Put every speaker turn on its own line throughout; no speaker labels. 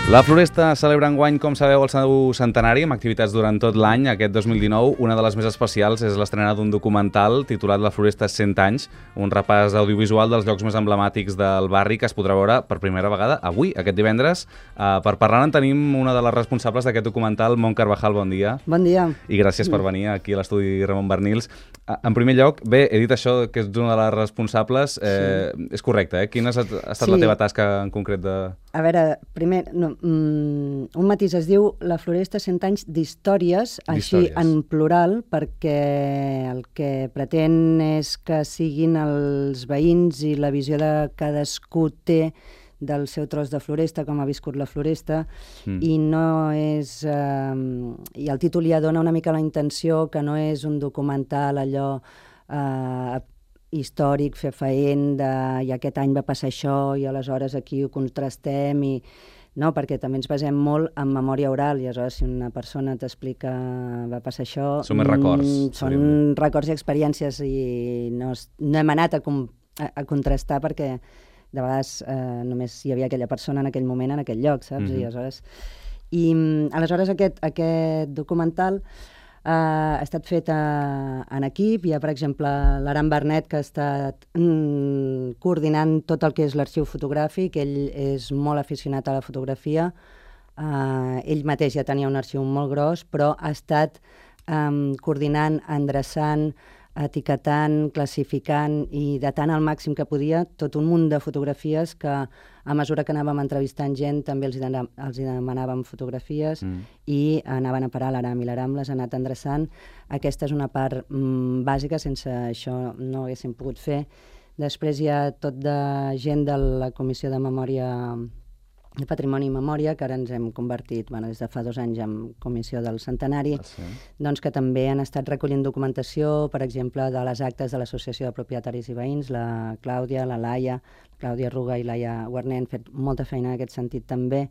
La Floresta celebra enguany, com sabeu, el seu centenari amb activitats durant tot l'any. Aquest 2019, una de les més especials és l'estrena d'un documental titulat La Floresta 100 anys, un repàs audiovisual dels llocs més emblemàtics del barri que es podrà veure per primera vegada avui, aquest divendres. Per parlar-ne tenim una de les responsables d'aquest documental, Mont Carvajal, bon dia.
Bon dia.
I gràcies per venir aquí a l'estudi Ramon Barnils. En primer lloc, bé, he dit això, que ets una de les responsables. Sí. És correcte, eh? Quina ha estat la teva tasca en concret de...
A veure, primer, un matís, es diu La Floresta 100 anys d'històries, així en plural, perquè el que pretén és que siguin els veïns i la visió de cadascú té del seu tros de floresta, com ha viscut la floresta, i no és... I el títol ja dona una mica la intenció que no és un documental allò històric, fefaent, i aquest any va passar això, i aleshores aquí ho contrastem, i... No, perquè també ens basem molt en memòria oral, i aleshores si una persona t'explica va passar això...
Són més records.
Són records i experiències, i no hem anat a contrastar perquè de vegades només hi havia aquella persona en aquell moment, en aquell lloc, saps? I aleshores aquest documental ha estat fet en equip. Hi ha, per exemple, l'Aram Bernet, que ha estat coordinant tot el que és l'arxiu fotogràfic. Ell és molt aficionat a la fotografia. Ell mateix ja tenia un arxiu molt gros, però ha estat coordinant, endreçant, etiquetant, classificant i datant al màxim que podia tot un munt de fotografies que a mesura que anàvem entrevistant gent també els demanàvem fotografies i anaven a parar a l'Aram, i l'Aram les ha anat endreçant. Aquesta és una part bàsica, sense això no haguéssim pogut fer. Després hi ha tot de gent de la Comissió de Memòria, de Patrimoni i Memòria, que ara ens hem convertit, des de fa 2 anys, en Comissió del Centenari, doncs que també han estat recollint documentació, per exemple, de les actes de l'Associació de Propietaris i Veïns, la Clàudia, la Laia, Clàudia Ruga i Laia Guarner han fet molta feina en aquest sentit també.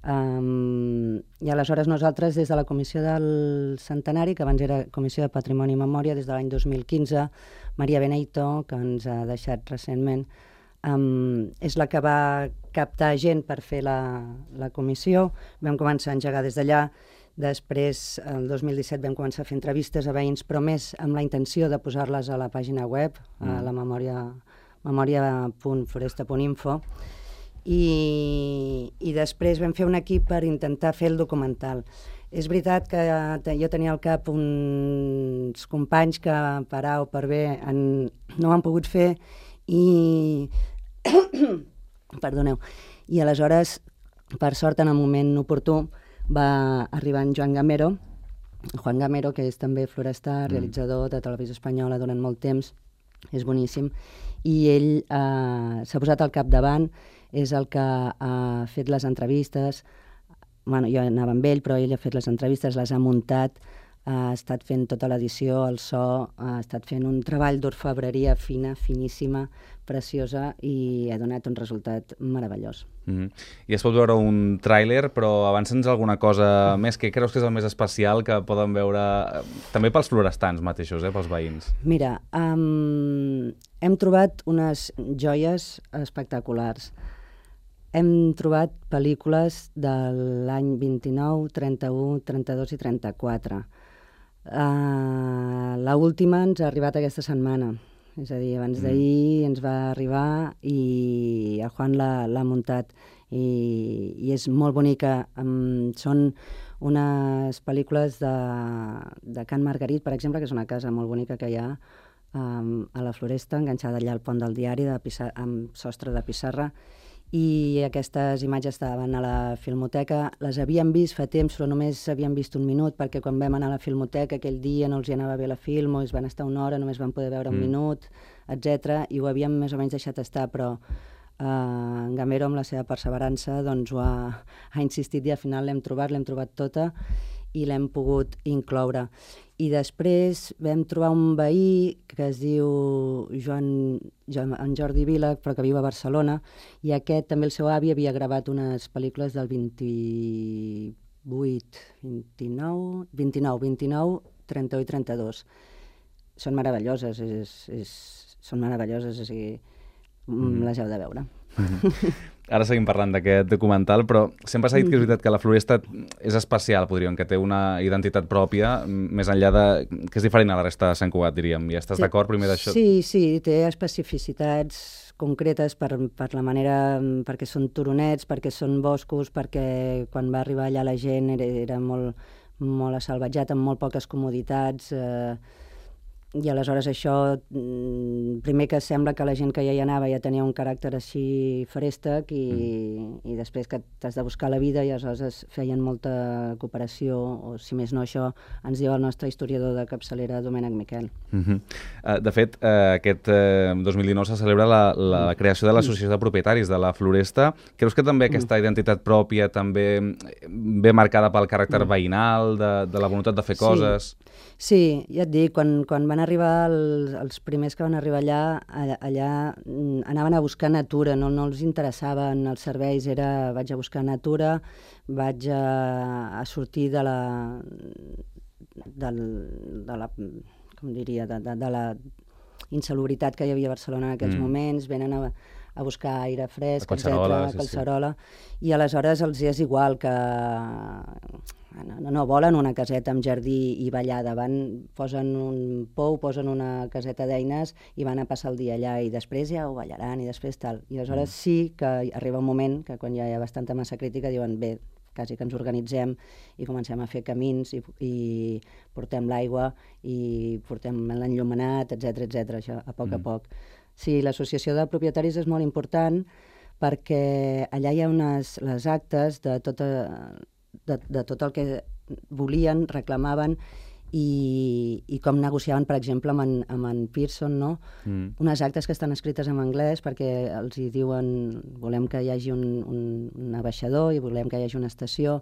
I aleshores nosaltres, des de la Comissió del Centenari, que abans era Comissió de Patrimoni i Memòria, des de l'any 2015, Maria Beneito, que ens ha deixat recentment, és la que va captar gent per fer la comissió. Vam començar a engegar des d'allà. Després, el 2017, vam començar a fer entrevistes a veïns, però més amb la intenció de posar-les a la pàgina web, a la memoria.floresta.info. I després vam fer un equip per intentar fer el documental. És veritat que jo tenia al cap uns companys que per A o per B no ho han pogut fer, i perdoneu, i aleshores, per sort, en el moment oportú va arribar en Juan Gamero, que és també florestar, realitzador de Televisió Espanyola durant molt temps, és boníssim, i ell s'ha posat al capdavant, és el que ha fet les entrevistes. Bueno, jo anava amb ell, però ell ha fet les entrevistes, les ha muntat, ha estat fent tota l'edició, el so, ha estat fent un treball d'orfebreria fina, finíssima, preciosa, i ha donat un resultat meravellós.
I es pot veure un tràiler, però avança'ns alguna cosa més. Què creus que és el més especial que poden veure també pels florestans mateixos, pels veïns?
Mira, hem trobat unes joies espectaculars. Hem trobat pel·lícules de l'any 29, 31, 32 i 34. L'última ens ha arribat aquesta setmana, és a dir, abans d'ahir ens va arribar i el Juan l'ha muntat, i és molt bonica. Són unes pel·lícules de Can Margarit, per exemple, que és una casa molt bonica que hi ha a la Floresta, enganxada allà al pont del Diari, amb sostre de pissarra, i aquestes imatges estaven a la Filmoteca. Les havíem vist fa temps, però només havíem vist un minut, perquè quan vam anar a la Filmoteca aquell dia no els hi anava bé la Filmo, es van estar una hora, només van poder veure un minut, etc. I ho havíem més o menys deixat estar, però en Gamero, amb la seva perseverança, doncs ho ha insistit, i al final l'hem trobat tota, i l'hem pogut incloure. I després vam trobar un veí que es diu en Jordi Vila, però que viu a Barcelona, i aquest també el seu avi havia gravat unes pel·lícules del 29, 31 i 32. Són meravelloses, són meravelloses, o sigui, les heu de veure.
Ara seguim parlant d'aquest documental, però sempre s'ha dit que és veritat que la Floresta és especial, podríem, que té una identitat pròpia, més enllà de... que és diferent a la resta de Sant Cugat, diríem. I estàs d'acord primer d'això?
Sí, té especificitats concretes per la manera... perquè són turonets, perquè són boscos, perquè quan va arribar allà la gent era molt assalvatjat, amb molt poques comoditats, i aleshores això, primer que sembla que la gent que ja hi anava ja tenia un caràcter així feréstec i després que t'has de buscar la vida i aleshores feien molta cooperació, o si més no això ens diu el nostre historiador de capçalera, Domènec Miquel.
De fet, aquest 2019 se celebra la creació de l'Associació de Propietaris de la Floresta. Creus que també aquesta identitat pròpia també ve marcada pel caràcter veïnal, de la voluntat de fer coses?
Sí, ja et dic, quan van arribar els primers que van arribar allà anaven a buscar natura, no els interessaven els serveis, vaig a buscar natura, vaig a sortir de la com diria, de la insalubritat que hi havia a Barcelona en aquells moments, venen a buscar aire fresc, etc., Collserola, i aleshores els és igual que... No volen una caseta amb jardí i ballada, posen un pou, posen una caseta d'eines i van a passar el dia allà i després ja ho ballaran i després tal. I aleshores sí que arriba un moment que quan ja hi ha bastanta massa crítica diuen bé, quasi que ens organitzem i comencem a fer camins i portem l'aigua i portem l'enllumenat, etc., això a poc a poc. Sí, l'associació de propietaris és molt important perquè allà hi ha les actes de tot el que volien, reclamaven i com negociaven, per exemple, amb en Pearson, no? Unes actes que estan escrites en anglès perquè els hi diuen volem que hi hagi un abaixador i volem que hi hagi una estació.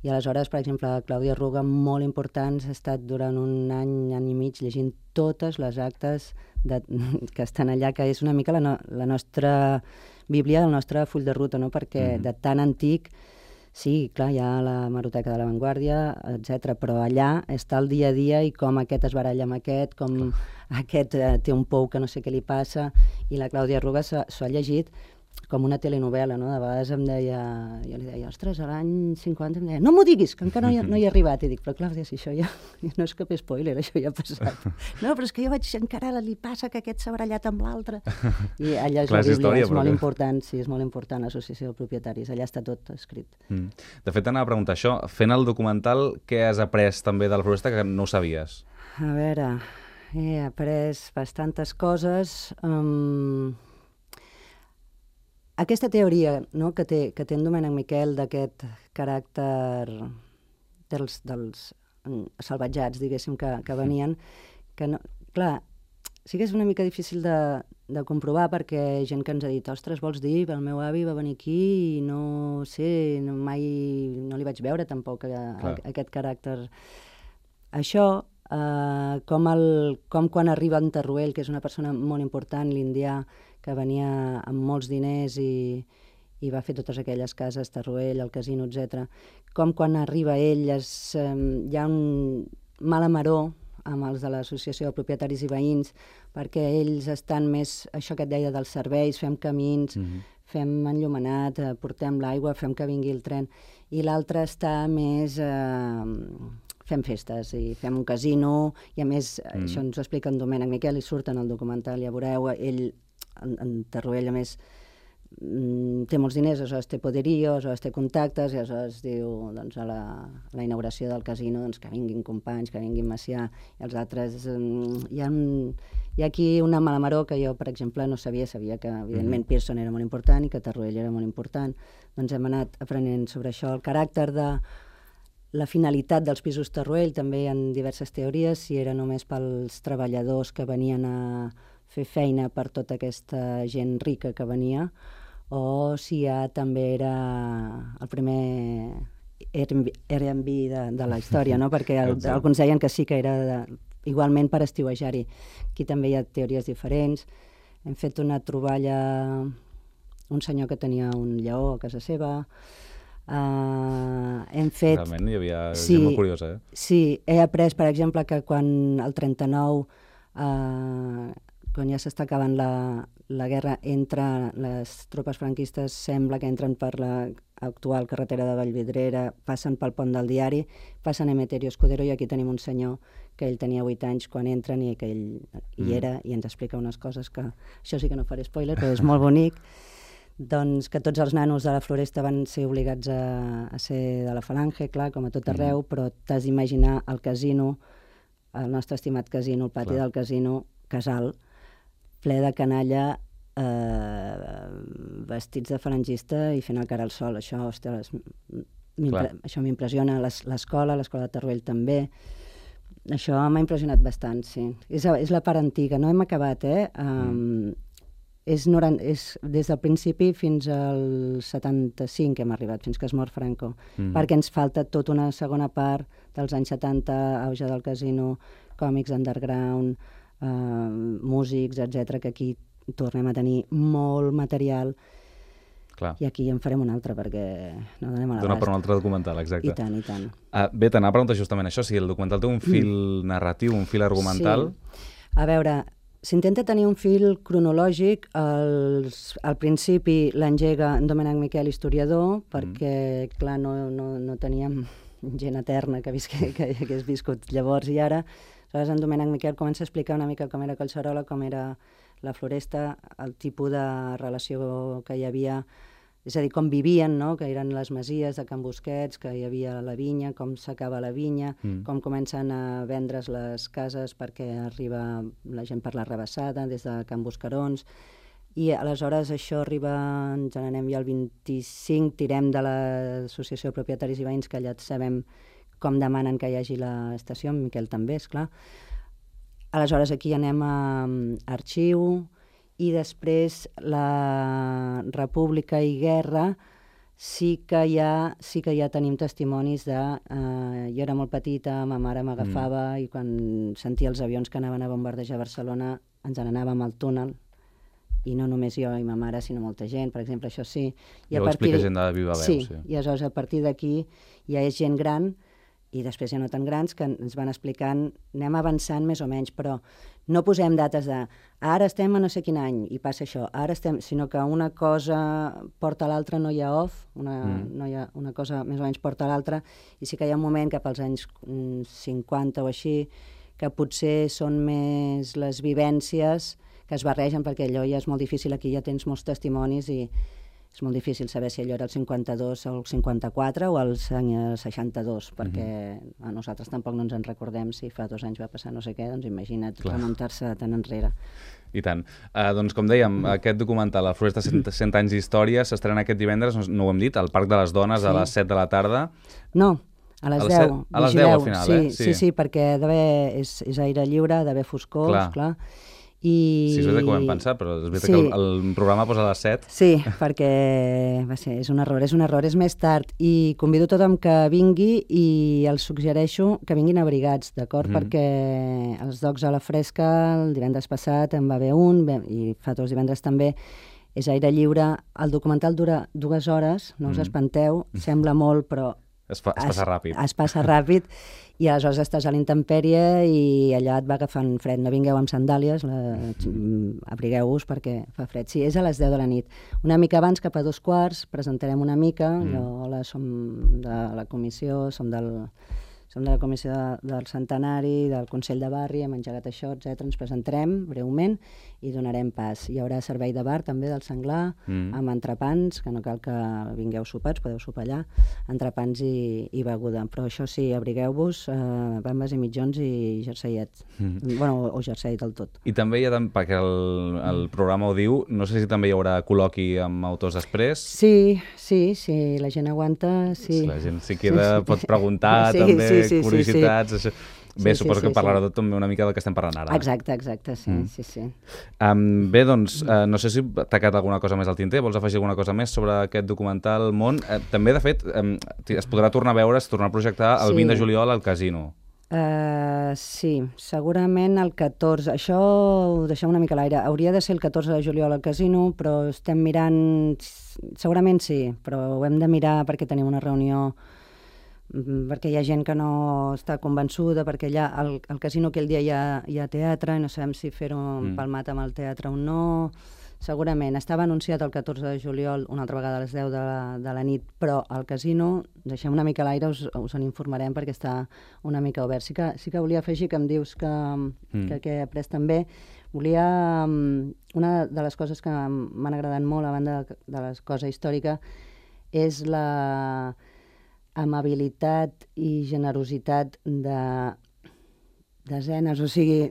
I aleshores, per exemple, Clàudia Ruga, molt importants, ha estat durant un any i mig llegint totes les actes que estan allà, que és una mica la nostra bíblia, el nostre full de ruta, no? Perquè de tan antic... Sí, clar, hi ha la Hemeroteca de la Vanguardia, etc. Però allà està el dia a dia i com aquest es baralla amb aquest, com aquest té un pou que no sé què li passa, i la Clàudia Ruga s'ho ha llegit com una telenovel·la, no? De vegades jo li deia, ostres, a l'any 50 em deia, no m'ho diguis, que encara no hi he arribat. I dic, però Clàudia, si això ja no és cap spoiler, això ja ha passat. No, però és que jo veig encara li passa que aquest s'ha barallat amb l'altre. I allà és la Bíblia, és molt important, sí, és molt important l'associació de propietaris, allà està tot escrit.
De fet, anava a preguntar això, fent el documental, què has après també de la Floresta que no ho sabies?
A veure, he après bastantes coses. Aquesta teoria, no, que té en Domènec Miquel d'aquest caràcter dels salvatjats, diguéssim, que venien, que no, clar, sí que és una mica difícil de comprovar perquè gent que ens ha dit, ostres, vols dir, el meu avi va venir aquí i no sé, mai no li vaig veure tampoc aquest caràcter. Això, com quan arriba en Teruel, que és una persona molt important, l'indià, que venia amb molts diners i va fer totes aquelles cases, Teruel, el casino, etc. Com quan arriba ell hi ha un mala maror amb els de l'associació de propietaris i veïns, perquè ells estan més, això que et deia dels serveis, fem camins, fem enllumenat, portem l'aigua, fem que vingui el tren, i l'altre està més... fem festes i fem un casino, i a més, això ens ho explica en Domènec Miquel, i surt en el documental, ja veureu, ell, en Teruel, a més, té molts diners, aleshores té poderio, aleshores té contactes, i aleshores diu, doncs, a la inauguració del casino, doncs, que vinguin companys, que vinguin Macià, i els altres... Hi ha aquí una malamaró que jo, per exemple, no sabia que, evidentment, Pearson era molt important i que Teruel era molt important. Doncs hem anat aprenent sobre això. El caràcter de la finalitat dels pisos Teruel, també hi ha diverses teories, si era només pels treballadors que venien a fer feina per tota aquesta gent rica que venia, o si ja també era el primer Airbnb de la història, no? Perquè alguns deien que sí que era igualment per estiuejar-hi. Aquí també hi ha teories diferents. Hem fet una troballa, un senyor que tenia un lleó a casa seva. Hem fet...
Realment hi havia gent molt curiosa, eh?
Sí, he après, per exemple, que quan el 39 quan ja s'està acabant la guerra, les tropes franquistes sembla que entren per l'actual carretera de Vallvidrera, passen pel pont del Diari, passen a Emeterio Escudero, i aquí tenim un senyor que ell tenia 8 anys quan entren i que ell hi era i ens explica unes coses que, això sí que no faré spoiler, però és molt bonic, doncs que tots els nanos de la Floresta van ser obligats a ser de la Falange, clar, com a tot arreu, però t'has d'imaginar el casino, el nostre estimat casino, el pati del casino, Casal, ple de canalla, vestits de falangista i fent el cara al sol. Això, ostres, això m'impressiona. L'escola de Teruel també. Això m'ha impressionat bastant, sí. És la part antiga, no hem acabat, és des del principi fins al 75 que hem arribat, fins que es mor Franco, perquè ens falta tota una segona part dels anys 70, auge del casino, còmics underground, músics, etc, que aquí tornem a tenir molt material.
Clar.
I aquí en farem un altre perquè no donem a l'abast.
Dona per un altre documental, exacte.
I tant, i tant.
Bé, t'anava a preguntar justament això, si el documental té un fil narratiu, un fil argumental.
Sí. A veure, s'intenta tenir un fil cronològic. Al principi l'engega en Domènec Miquel, historiador, perquè, clar, no teníem gent eterna que hagués viscut llavors i ara. Aleshores, en Domènec Miquel comença a explicar una mica com era Collserola, com era la Floresta, el tipus de relació que hi havia, és a dir, com vivien, no? Que eren les masies de Can Busquets, que hi havia la vinya, com s'acaba la vinya, com comencen a vendre's les cases perquè arriba la gent per la Rebassada, des de Can Buscarons, i aleshores això arriba, ens n'anem ja al 25, tirem de l'Associació de Propietaris i Veïns, que allà sabem com demanen que hi hagi l'estació, en Miquel també, esclar. Aleshores aquí anem a arxiu, i després la República i Guerra sí que ja tenim testimonis de... jo era molt petita, ma mare m'agafava i quan sentia els avions que anaven a bombardejar Barcelona ens n'anàvem al túnel, i no només jo i ma mare, sinó molta gent, per exemple, això sí.
Ja ho explica gent de viva veu.
Sí, i aleshores a partir d'aquí ja és gent gran, i després ja no tan grans, que ens van explicant, anem avançant més o menys, però no posem dates de ara estem a no sé quin any i passa això, ara estem, sinó que una cosa porta a l'altra, no hi ha off, no hi ha una cosa més o menys porta a l'altra, i sí que hi ha un moment cap als anys 50 o així, que potser són més les vivències que es barregen, perquè allò ja és molt difícil, aquí ja tens molts testimonis i és molt difícil saber si allò era el 52 o el 54 o el 62, perquè a nosaltres tampoc no ens en recordem si fa 2 anys va passar no sé què, doncs imagina't remuntar-se tan enrere.
I tant. Doncs com dèiem, aquest documental, La Floresta 100 anys d'història, s'estrena aquest divendres, no ho hem dit, al Parc de les Dones a les 7 de la tarda.
No, a les 10.
A les 10 al final,
Sí, perquè és aire lliure, ha d'haver foscor, esclar.
Sí, és veritat que ho vam pensar, però és veritat que el programa posa a les 7.
Sí, perquè és un error, és més tard. I convido tothom que vingui i els suggereixo que vinguin abrigats, d'acord? Perquè els Docs a la Fresca, el divendres passat en va haver un, i fa 2 divendres també, és aire lliure. El documental dura 2 hores, no us espanteu, sembla molt, però
es passa ràpid.
Es passa ràpid, i aleshores estàs a la intempèrie i allà et va agafant fred. No vingueu amb sandàlies, abrigueu-vos perquè fa fred. Sí, és a les 10 de la nit. Una mica abans, cap a 2:15, presentarem una mica. Hola, som de la comissió, som de la comissió del centenari, del Consell de Barri, hem engegat això, etc. Ens presentarem breument i donarem pas. Hi haurà servei de bar també del Senglar, amb entrepans, que no cal que vingueu sopats, podeu sopar allà, entrepans i beguda. Però això sí, abrigueu-vos, bambes i mitjons i jerseiets. Bueno, o jersei del tot.
I també hi ha, perquè el programa ho diu, no sé si també hi haurà col·loqui amb autors després.
Sí, la gent aguanta, sí.
La gent si queda pot preguntar també, curiositats, això. Bé, suposo que parlarà també una mica del que estem parlant ara.
Exacte, sí.
Bé, doncs, no sé si t'ha quedat alguna cosa més al tinter, vols afegir alguna cosa més sobre aquest documental Món? També, de fet, es podrà tornar a veure, es tornarà a projectar el 20 de juliol al Casino.
Sí, segurament el 14. Això ho deixem una mica a l'aire. Hauria de ser el 14 de juliol al Casino, però estem mirant... Segurament sí, però ho hem de mirar perquè tenim una reunió perquè hi ha gent que no està convençuda, perquè allà al casino aquell dia hi ha teatre i no sabem si fer-ho empalmat amb el teatre o no. Segurament. Estava anunciat el 14 de juliol, una altra vegada a les 10 de la nit, però al casino, deixem una mica a l'aire, us en informarem perquè està una mica obert. Sí que volia afegir que em dius que he après també. Una de les coses que m'han agradat molt, a banda de la cosa històrica, és la amabilitat i generositat de desenes, o sigui,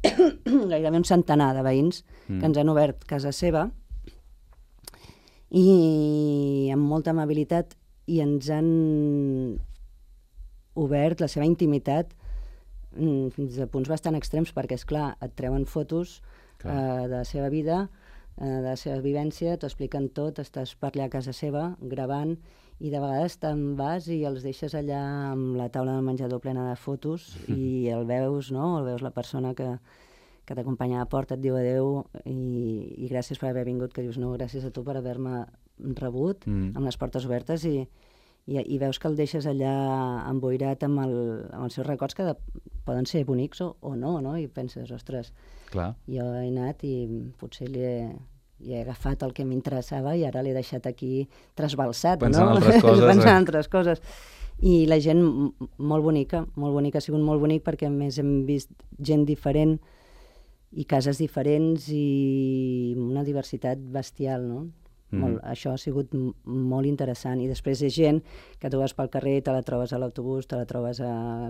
gairebé un centenar de veïns que ens han obert casa seva i amb molta amabilitat i ens han obert la seva intimitat fins a punts bastant extrems, perquè, esclar, et treuen fotos de la seva vida, de la seva vivència, t'ho expliquen tot, estàs per allà a casa seva gravant i de vegades te'n vas i els deixes allà amb la taula del menjador plena de fotos i el veus, no? El veus la persona que t'acompanya a la porta, et diu adeu i gràcies per haver vingut, que dius no, gràcies a tu per haver-me rebut amb les portes obertes i veus que el deixes allà emboirat amb els seus records que poden ser bonics o no, no? I penses, ostres, jo he anat i potser li he agafat el que m'interessava i ara l'he deixat aquí trasbalsat,
pensant en altres coses.
Pensant en altres coses. I la gent molt bonica, ha sigut molt bonic perquè a més hem vist gent diferent i cases diferents i una diversitat bestial, no? Això ha sigut molt interessant. I després és gent que tu vas pel carrer, te la trobes a l'autobús, te la trobes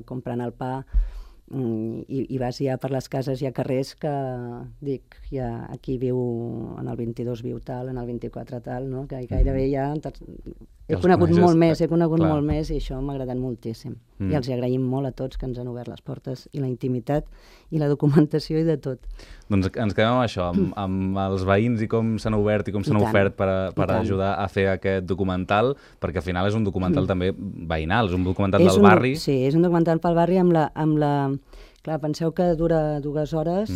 comprant el pa i vas ja per les cases, hi ha carrers que dic, ja aquí viu, en el 22 viu tal, en el 24 tal, no? Que gairebé ja he conegut molt més i això m'ha agradat moltíssim. I els agraïm molt a tots que ens han obert les portes i la intimitat i la documentació i de tot.
Doncs ens quedem amb això, amb els veïns i com s'han obert i com s'han ofert per ajudar a fer aquest documental, perquè al final és un documental també veïnal, és un documental del barri.
Sí, és un documental pel barri amb la... Clar, penseu que dura 2 hores.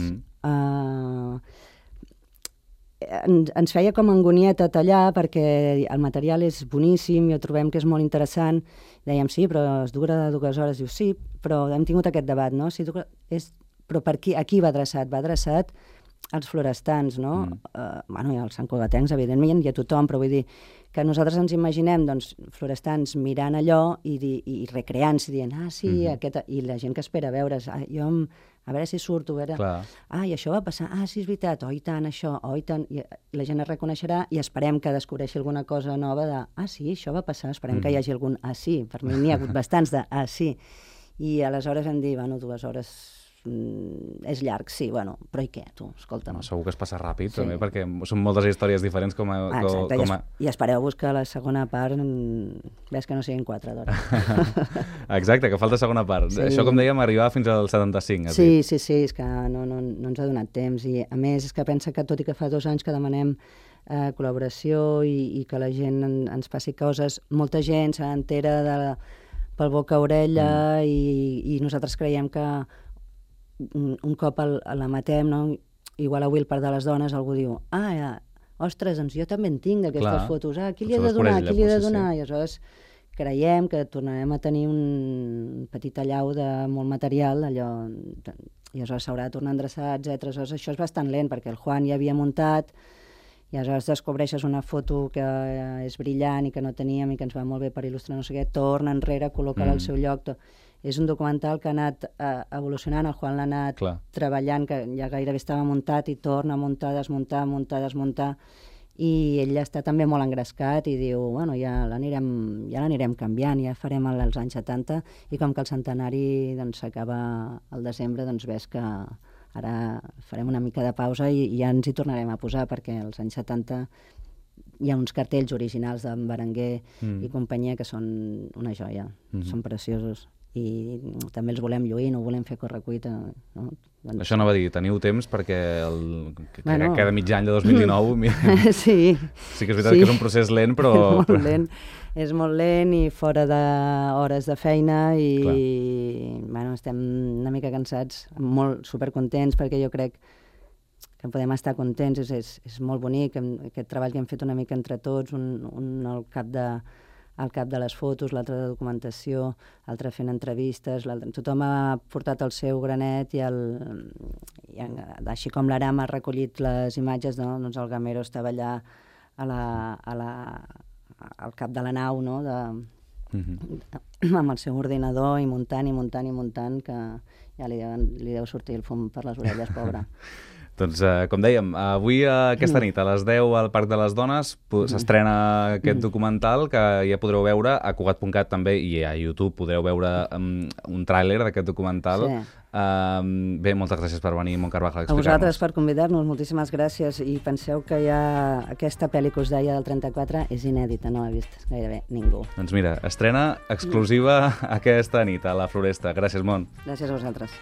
Ens feia com angonieta tallar perquè el material és boníssim i ho trobem que és molt interessant. Dèiem, sí, però es dura 2 hores. Diu, sí, però hem tingut aquest debat, no? Però per a qui va adreçat? Va adreçat als florestans, no? I als santcugatencs, evidentment, i a tothom, però vull dir que nosaltres ens imaginem florestans mirant allò i recreant-se, dient, sí, i la gent que espera veure's, a veure si surto, a veure, i això va passar, sí, és veritat, i tant, això, i tant, i la gent es reconeixerà i esperem que descobreixi alguna cosa nova de, sí, això va passar, esperem que hi hagi algun, sí, per mi n'hi ha hagut bastants de, sí, i aleshores vam dir, 2 hores és llarg, sí, però i què, tu? Escolta'm.
Segur que es passa ràpid, també, perquè són moltes històries diferents
I espereu-vos que la segona part ves que no siguin 4 d'hora.
Exacte, que falta segona part. Això, com dèiem, arribava fins al 75.
Sí, és que no ens ha donat temps, i a més és que pensa que tot i que fa 2 anys que demanem col·laboració i que la gent ens passi coses, molta gent se n'entera pel boca a orella i nosaltres creiem que un cop la matem, no? Igual avui el Parc de les Dones algú diu, ostres, doncs jo també en tinc d'aquestes fotos, qui li he de donar, I aleshores creiem que tornarem a tenir un petit allau de molt material, i aleshores s'haurà de tornar a endreçar, etc. Aleshores això és bastant lent, perquè el Juan ja havia muntat, i aleshores descobreixes una foto que és brillant i que no teníem i que ens va molt bé per il·lustrar no sé què, torna enrere, col·loca-la al seu lloc. És un documental que ha anat evolucionant, el Juan l'ha anat treballant, que ja gairebé estava muntat i torna a muntar, desmuntar, i ell està també molt engrescat i diu, ja l'anirem canviant, ja farem els anys 70, i com que el centenari s'acaba al desembre, ves que ara farem una mica de pausa i ja ens hi tornarem a posar, perquè als anys 70 hi ha uns cartells originals d'en Berenguer i companyia que són una joia, són preciosos. I també els volem lluir, no volem fer correcuita. No?
Això no va dir, teniu temps perquè cada mig any de 2019...
Sí
que és veritat que és un procés lent, però...
És molt lent i fora d'hores de feina i estem una mica cansats, molt supercontents, perquè jo crec que podem estar contents, és molt bonic, aquest treball que hem fet una mica entre tots, un al cap el cap de les fotos, l'altre de documentació, l'altre fent entrevistes, tothom ha portat el seu granet i així com l'Aram ha recollit les imatges, no? Doncs el Gamero estava allà al cap de la nau, no? Amb el seu ordinador i muntant, que ja li deu sortir el fum per les orelles, pobre.
Doncs, com dèiem, avui aquesta nit a les 10 al Parc de les Dones s'estrena aquest documental que ja podreu veure a Cugat.cat també, i a YouTube podreu veure un tràiler d'aquest documental. Bé, moltes gràcies per venir, Montse Carvajal, a explicar-nos.
A vosaltres per convidar-nos, moltíssimes gràcies, i penseu que ja aquesta pel·li que us deia del 34 és inèdita, no l'ha vist gairebé ningú.
Doncs mira, estrena exclusiva aquesta nit a la Floresta. Gràcies, Mont.
Gràcies a vosaltres.